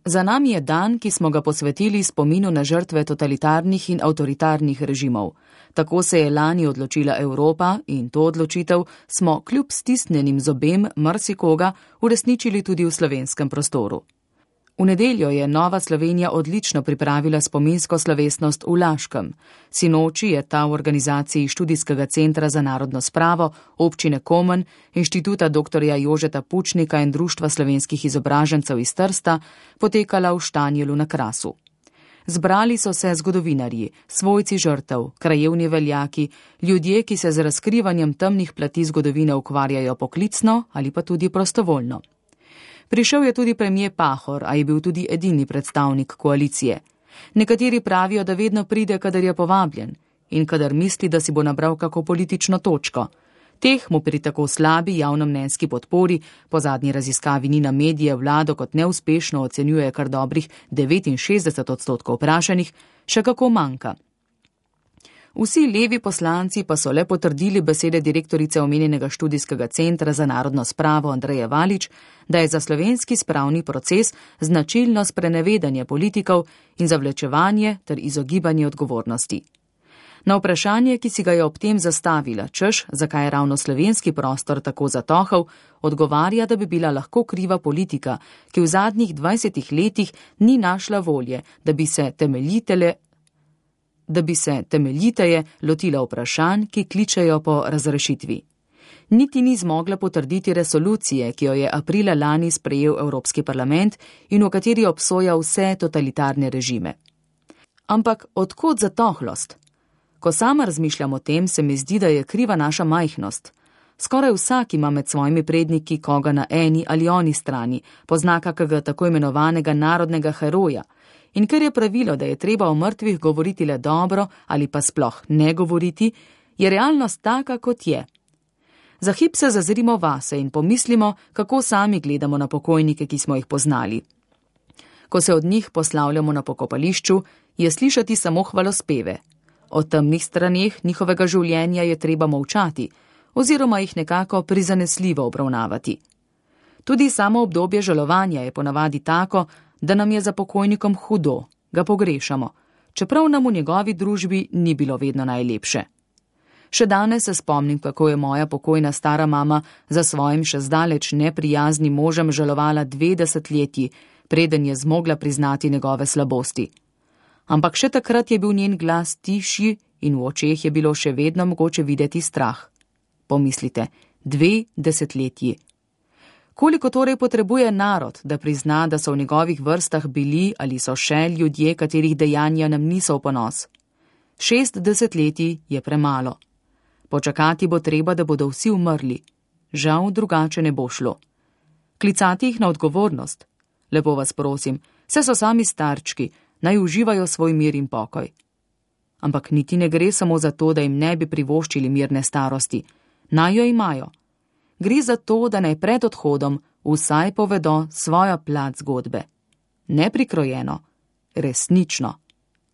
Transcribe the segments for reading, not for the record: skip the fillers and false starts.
Za nami je dan, ki smo ga posvetili spominu na žrtve totalitarnih in avtoritarnih režimov. Tako se je lani odločila Evropa in to odločitev smo kljub stisnjenim zobem marsikoga uresničili tudi v slovenskem prostoru. V nedeljo je Nova Slovenija odlično pripravila spominsko slovesnost v Laškem. Sinoči je ta v organizaciji Študijskega centra za narodno spravo, občine Komen, Inštituta dr. Jožeta Pučnika in Društva slovenskih izobražencev iz Trsta potekala v Štanjelu na Krasu. Zbrali so se zgodovinarji, svojci žrtev, krajevni veljaki, ljudje, ki se z razkrivanjem temnih plati zgodovine ukvarjajo poklicno ali pa tudi prostovoljno. Prišel je tudi premier Pahor, a je bil tudi edini predstavnik koalicije. Nekateri pravijo, da vedno pride, kadar je povabljen in kadar misli, da si bo nabral kako politično točko. Teh mu pri tako slabi javnomnenjski podpori, po zadnji raziskavi Nina Medije vlado kot neuspešno ocenjuje kar dobrih 69% vprašanih, še kako manjka. Vsi levi poslanci pa so le potrdili besede direktorice omenjenega študijskega centra za narodno spravo Andreje Valič, da je za slovenski spravni proces značilno sprenevedanje politikov in zavlečevanje ter izogibanje odgovornosti. Na vprašanje, ki si ga je ob tem zastavila, češ, zakaj je ravno slovenski prostor tako zatohal, odgovarja, da bi bila lahko kriva politika, ki v zadnjih 20 letih ni našla volje, da bi se temeljiteje lotila vprašanj, ki kličejo po razrešitvi. Niti ni zmogla potrditi resolucije, ki jo je aprila lani sprejel Evropski parlament in v kateri obsoja vse totalitarne režime. Ampak odkot zatohlost? Ko sama razmišljam o tem, se mi zdi, da je kriva naša majhnost. Skoraj vsak ima med svojimi predniki koga na eni ali oni strani, pozna kakega tako imenovanega narodnega heroja. In ker je pravilo, da je treba o mrtvih govoriti le dobro ali pa sploh ne govoriti, je realnost taka, kot je. Za hip se zazrimo vase in pomislimo, kako sami gledamo na pokojnike, ki smo jih poznali. Ko se od njih poslavljamo na pokopališču, je slišati samo hvalospeve. O temnih straneh njihovega življenja je treba molčati, oziroma jih nekako prizanesljivo obravnavati. Tudi samo obdobje žalovanja je ponavadi tako, da nam je za pokojnikom hudo, ga pogrešamo, čeprav nam v njegovi družbi ni bilo vedno najlepše. Še danes se spomnim, kako je moja pokojna stara mama za svojim še zdaleč neprijaznim možem žalovala 2 desetletji, preden je zmogla priznati njegove slabosti. Ampak še takrat je bil njen glas tišji in v očeh je bilo še vedno mogoče videti strah. Pomislite, 2 desetletji. Koliko torej potrebuje narod, da prizna, da so v njegovih vrstah bili ali so še ljudje, katerih dejanja nam niso v ponos? 6 desetletij je premalo. Počakati bo treba, da bodo vsi umrli. Žal drugače ne bo šlo. Klicati jih na odgovornost. Lepo vas prosim, saj so sami starčki, naj uživajo svoj mir in pokoj. Ampak niti ne gre samo za to, da jim ne bi privoščili mirne starosti. Naj jo imajo. Gre za to, da naj pred odhodom vsaj povedo svojo plat zgodbe. Neprikrojeno, resnično.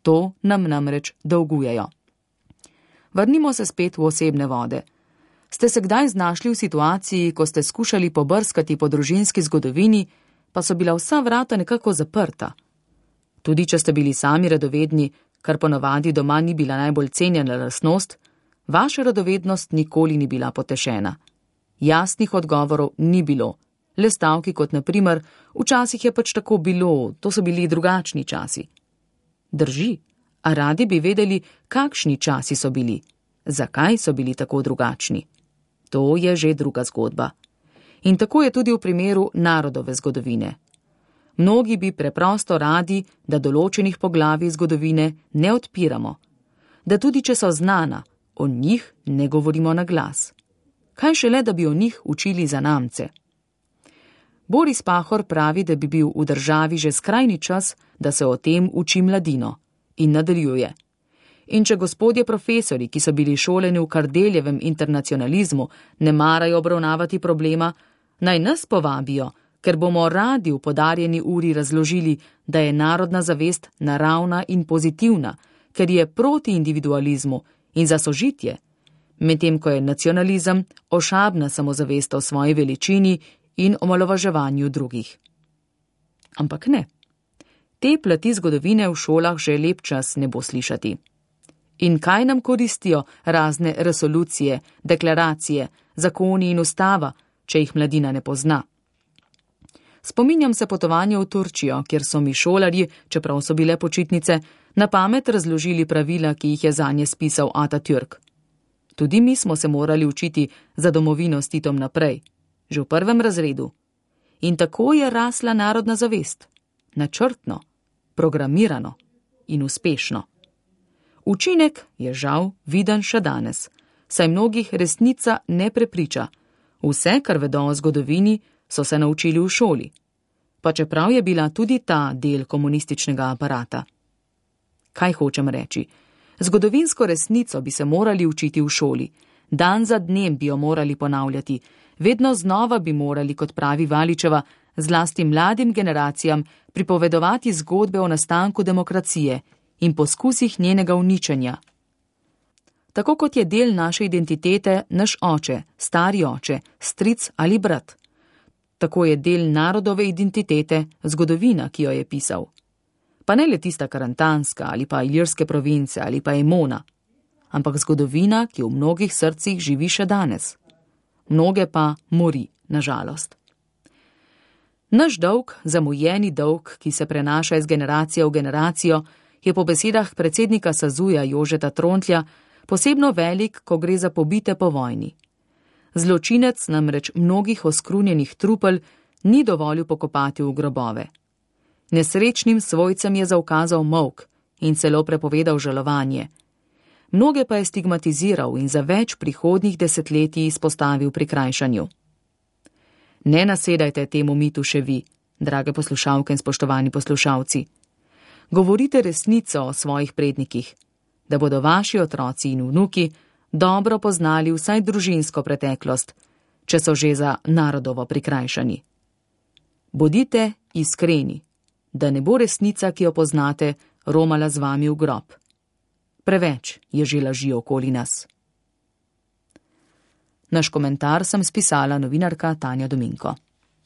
To nam namreč dolgujejo. Vrnimo se spet v osebne vode. Ste se kdaj znašli v situaciji, ko ste skušali pobrskati po družinski zgodovini, pa so bila vsa vrata nekako zaprta? Tudi če ste bili sami radovedni, kar ponavadi doma ni bila najbolj cenjena lastnost, vaša radovednost nikoli ni bila potešena. Jasnih odgovorov ni bilo, le stavki kot na primer, včasih je pač tako bilo, to so bili drugačni časi. Drži, a radi bi vedeli, kakšni časi so bili, zakaj so bili tako drugačni. To je že druga zgodba. In tako je tudi v primeru narodove zgodovine. Mnogi bi preprosto radi, da določenih poglavij zgodovine ne odpiramo, da tudi če so znana, o njih ne govorimo na glas. Kaj šele, da bi o njih učili zanamce? Boris Pahor pravi, da bi bil v državi že skrajni čas, da se o tem uči mladino. In nadaljuje. In če gospodje profesori, ki so bili šoleni v Kardeljevem internacionalizmu, ne marajo obravnavati problema, naj nas povabijo, ker bomo radi v podarjeni uri razložili, da je narodna zavest naravna in pozitivna, ker je proti individualizmu in za sožitje, medtem ko je nacionalizem ošabna samozavest o svoji veličini in omalovaževanju drugih. Ampak ne. Te plati zgodovine v šolah že lep čas ne bo slišati. In kaj nam koristijo razne resolucije, deklaracije, zakoni in ustava, če jih mladina ne pozna? Spominjam se potovanja v Turčijo, kjer so mi šolarji, čeprav so bile počitnice, na pamet razložili pravila, ki jih je zanje spisal Atatürk. Tudi mi smo se morali učiti za domovino s Titom naprej, že v 1. razredu. In tako je rasla narodna zavest, načrtno, programirano in uspešno. Učinek je žal viden še danes, saj mnogih resnica ne prepriča. Vse, kar vedo o zgodovini, so se naučili v šoli, pa čeprav je bila tudi ta del komunističnega aparata. Kaj hočem reči? Zgodovinsko resnico bi se morali učiti v šoli, dan za dnem bi jo morali ponavljati, vedno znova bi morali, kot pravi Valičeva, zlasti mladim generacijam pripovedovati zgodbe o nastanku demokracije in poskusih njenega uničenja. Tako kot je del naše identitete naš oče, stari oče, stric ali brat. Tako je del narodove identitete zgodovina, ki jo je pisal. Pa ne le tista karantanska ali pa ilirske province ali pa Emona, ampak zgodovina, ki v mnogih srcih živi še danes. Mnoge pa mori, nažalost. Naš dolg, zamujeni dolg, ki se prenaša iz generacije v generacijo, je po besedah predsednika Sazuja Jožeta Trontlja posebno velik, ko gre za pobite po vojni. Zločinec namreč mnogih oskrunjenih trupel ni dovolil pokopati v grobove. Nesrečnim svojcem je zaukazal molk in celo prepovedal žalovanje. Mnoge pa je stigmatiziral in za več prihodnjih desetletij izpostavil prikrajšanju. Ne nasedajte temu mitu še vi, drage poslušalke in spoštovani poslušalci. Govorite resnico o svojih prednikih, da bodo vaši otroci in vnuki dobro poznali vsaj družinsko preteklost, če so že za narodovo prikrajšani. Bodite iskreni, da ne bo resnica, ki jo poznate, romala z vami v grob. Preveč je že laži okoli nas. Naš komentar sem spisala novinarka Tanja Dominko.